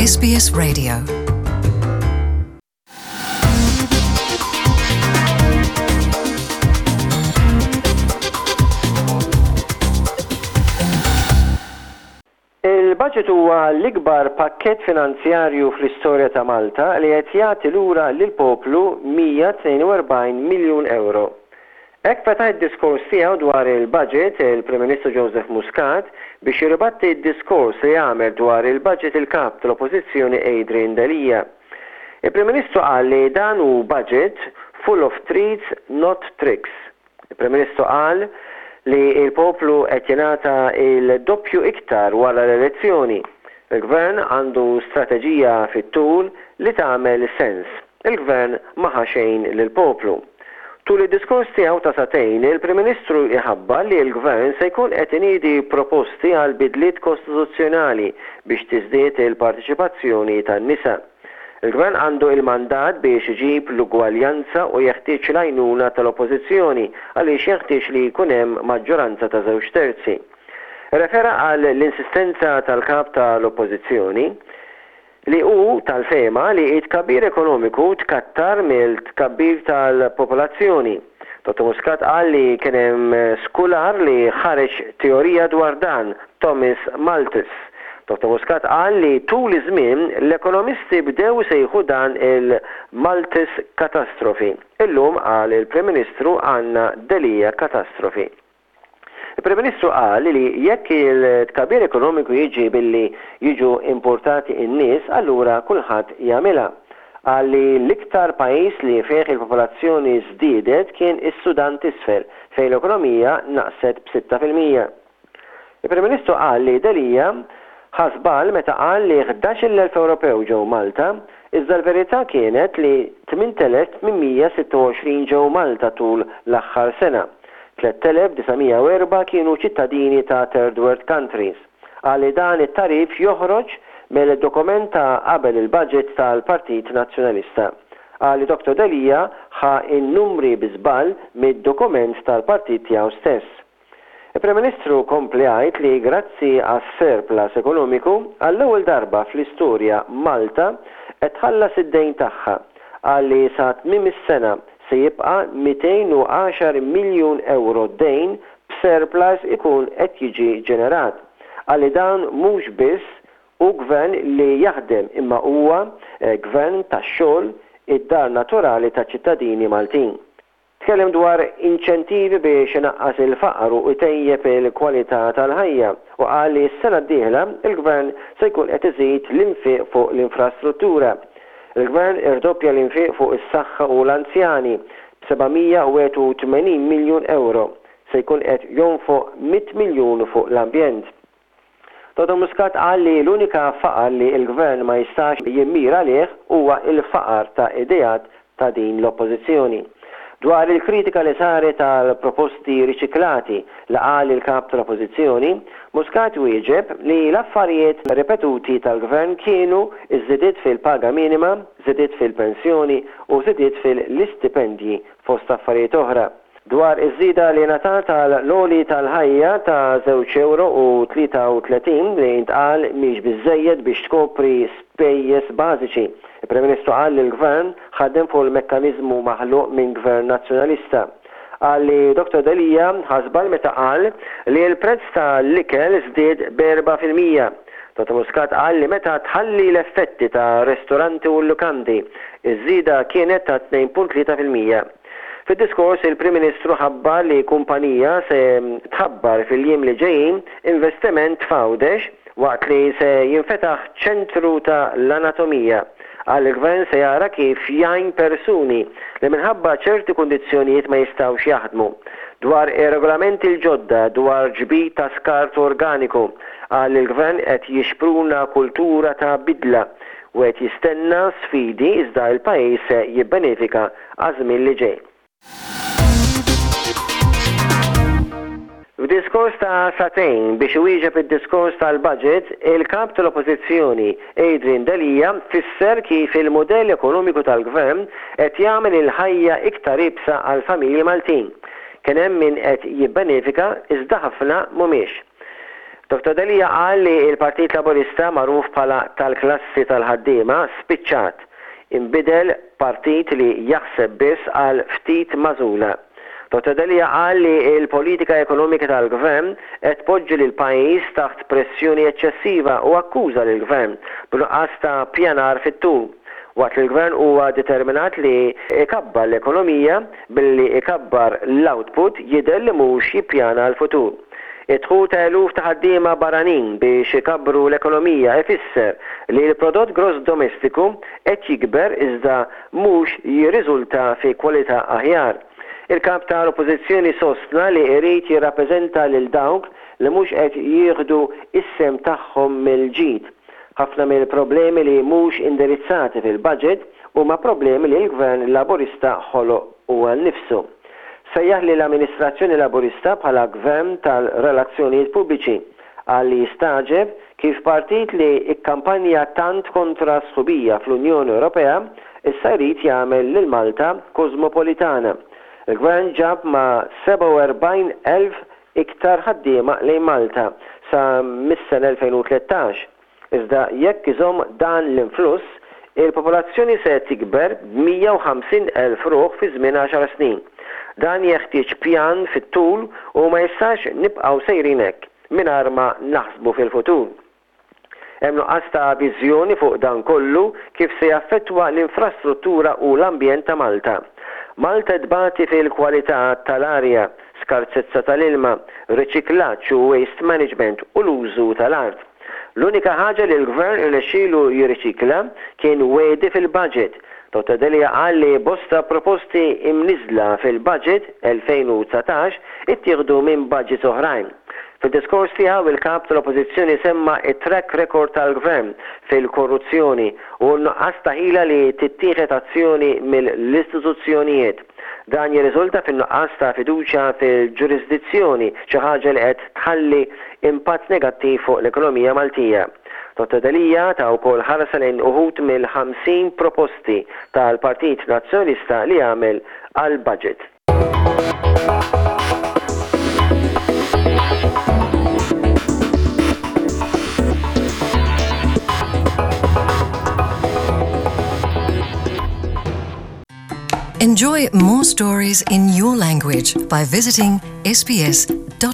SBS Radio. Il-budget huwa l-ikbar pakkett finanzjarju fl-istorja ta' Malta li qed jagħti lura lill-poplu 142 miljun ewro. Hekk fetaħ id-diskors tiegħu dwar il-budget il-Prim Ministru Joseph Muscat biex jirribatti d-diskors li għamel dwar il-budget il-Kap tal-Oppożizzjoni Adrian Delia. Il-Prim Ministru qal li dan hu budget full of treats not tricks. Il-Prim Ministru qal li l-poplu qed jingħata l-doppju iktar wara l-elezzjoni. Il-Gvern għandu strateġija fit-tul li tagħmel sens. Il-Gvern ma ħa xejn lill-poplu. Tul id-diskors tiegħu ta' sagħtejn, il-Prim Ministru jħabbar li l-Gvern se jkun qed iniedi proposti għal bidliet kostituzzjonali biex tiżdied il-parteċipazzjoni tan-nisa. Il-Gvern għandu il-mandat biex iġib l-ugwaljanza u jeħtieġ l-għajnuna tal-Oppożizzjoni għaliex jenħtieġ li jkun hemm maġġoranza ta' żewġ terzi. Irrefera għal l-insistenza tal-Kap tal-Oppożizzjoni li hu tal-fehma li t-tkabbir ekonomiku tkattar mill-tkabbir tal-popolazzjoni. Dottor Muscat qal li kien hemm skular li ħareġ teorija dwar dan, Thomas Malthus. Dottor Muscat qal li tul iż-żmien l-ekonomisti bdew isejħu dan il-Malthus catastrophe. Illum, qal il-Prim Ministru, għandna Delia catastrophe. Il-Prim Ministru qal li jekk il-tkabbir ekonomiku jiġi billi jiġu importati n-nies allura kulħadd jagħmilha. Qal li l-iktar pajjiż li fih il-popolazzjoni żdiedet kien is-Sudan t'Isfel fejn l-ekonomija naqset b'6%. Il-Prim Ministru qal li Delia ħa żball meta qal li 11,000 Ewropew ġew Malta, iżda l-verità kienet li 8,826 ġew Malta tul l-aħħar sena. 3,904 kienu ċittadini ta' third world countries. Qal li dan it-tagħrif joħroġ mill-dokument ta' qabel il-budget tal-Partit Nazzjonalista. Qal li Dottor Delia ħa n-numri bi żball mid-dokument tal-partit tiegħu stess. Il-Prim Ministru kompli jgħid li grazzi għas-surplus ekonomiku, għall-ewwel darba fl-istorja Malta qed tħallas id-dejn tagħha. Qal li sa tmiem is-sena se jibqa' 210 miljun ewro dejn b'surplus ikun qed jiġi ġenerat. Qal li dan mhux biss hu gvern li jaħdem imma huwa gvern tax-xogħol, id-dar naturali taċ-ċittadini Maltin. Tkellem dwar inċentivi biex inaqqas il-faqar u jtejjeb il-kwalità tal-ħajja u qal li s-sena d-dieħla l-Gvern se jkun qed iżid l-infiq fuq l-infrastruttura. Il-Gvern irdoppja l-infiq fuq is-saħħa u l-anzjani b'781 miljun ewro. Se jkun qed jonfoq 100 miljun fuq l-ambjent. Dottor Muscat qal li l-unika faqar li l-Gvern ma jistax jimmira għalih huwa l-faqar ta' ideat ta' din l-Oppożizzjoni. Dwar il-kritika li saret għal proposti riċiklati li qal il-Kap tal-Oppożizzjoni, Muscat wieġeb li l-affarijiet ripetuti tal-Gvern kienu ż-żidiet fil-paga minima, żidiet fil-pensjoni u żidiet fil-istipendji fost affarijiet oħra. Dwar iż-żieda li ngħatat għal l-għoli tal-ħajja ta' żewġ ewro u 33 li ntqal mhix biżżejjed biex tkopri spejjeż bażiċi, il-Prim Ministru qal li l-Gvern ħadem fuq il-mekkaniżmu maħluq minn Gvern Nazzjonalista. Qal li Dottor Delia ħa żball meta qal li l-prezz ta' l-ikel żdied b'4%. Dottor Muscat qal li meta tħalli l-effetti ta' ristoranti u l-lukandi, iż-żieda kienet ta' 2.3%. Fid-diskors il-Prim Ministru ħabbar li kumpanija se tħabbar fil-jiem li ġejjin investiment f'Għawdex waqt li se jinfetaħ ċentru ta' l-anatomija. Qal li l-Gvern se jara kif jgħin persuni li minħabba ċerti kundizzjonijiet ma jistgħux jaħdmu. Dwar ir-regolamenti l-ġodda dwar ġbid ta' skart organiku, qal li l-Gvern qed jixpruna kultura ta' bidla u qed jistenna sfidi iżda l-pajjiż se jibbenefika għaż-żmien li ġej. F'diskors ta' sagħtejn biex iwieġeb id-diskors tal-budget, il-Kap tal-Oppożizzjoni Adrian Delia fisser kif il-mudell ekonomiku tal-Gvern qed jagħmel il-ħajja iktar iebsa għall-familji Maltin. Kien hemm min qed jibbenefika iżda ħafna mhumiex. Dottor Delia qal li l-Partit Laburista magħruf bħala tal-klassi tal-ħaddiema spiċċat, inbidel partit li jaħseb biss għal ftit magħżula. Dottor Delia qal li l-politika ekonomika tal-Gvern qed tpoġġi lill-pajjiż taħt pressjoni eċċessiva u akkuża lill-Gvern b'nuqqas ta' ppjanar fit-tul. Waqt li l-Gvern huwa determinat li jkabbar l-ekonomija billi jkabbar l-output jidher li mhux jippjana għall-futur. Id-dħul ta' eluf ta' ħaddiema barranin biex ikabbru l-ekonomija ifisser li l-prodott gross domestiku qed jikber iżda mhux jirriżulta fi kwalità aħjar. Il-Kap ta' l-Oppożizzjoni sostna li jrid jirrappreżenta lil dawk li mhux qed jieħdu s-sehem tagħhom mill-ġid. Ħafna mill-problemi li mhux indirizzati fil-budget huma problemi li l-Gvern Laburista ħoloq huwa nnifsu. Sejjaħ lill-amministrazzjoni Laburista bħala Gvern tal-relazzjonijiet pubbliċi. Qal li jistagħġeb kif partit li kkampanja tant kontra s-sħubija fl-Unjoni Ewropea issa jrid jagħmel lil Malta kożmopolitana. Il-Gvern ġab ma' 47,000 iktar ħaddiema lejn Malta sa mis-sena 2013. Iżda jekk iżomm dan l-influss, il-popolazzjoni se tikber b'150,000 ruħ fi żmien għaxar snin. Dan jeħtieġ pjan fit-tul u ma jistax nibqgħu sejrin hekk, mingħajr ma naħsbu fil-futur. Hemm nuqqas ta' viżjoni fuq dan kollu kif se jaffettwa l-infrastruttura u l-ambjent ta' Malta. Malta tbati fil-kwalità tal-arja, skarsezza tal-ilma, riċiklaġġ u waste management u l-użu tal-art. L-unika ħaġa li l-Gvern irnexxielu jirriċikla kien wegħdi fil-budget. Dottor Delia qal li bosta proposti imniżżla fil-budget 2019 ittieħdu minn budgets oħrajn. Fid-diskors tiegħu il-Kap tal-Oppożizzjoni semma t-track record tal-Gvern fil-korruzzjoni u n-nuqqas ta' ħila li tittieħed azzjoni mill-istituzzjonijiet. Dan jirriżulta fin-nuqqas ta' fiduċja fil-ġurisdizzjoni, xi ħaġa li qed tħalli impatt negattiv fuq l-ekonomija Maltija. Dottor Delia ta wkoll ħarsa lejn uħud mill-50 proposti tal-Partit Nazzjonalista li għamel għall-budget. Enjoy more stories in your language by visiting sbs.com.au.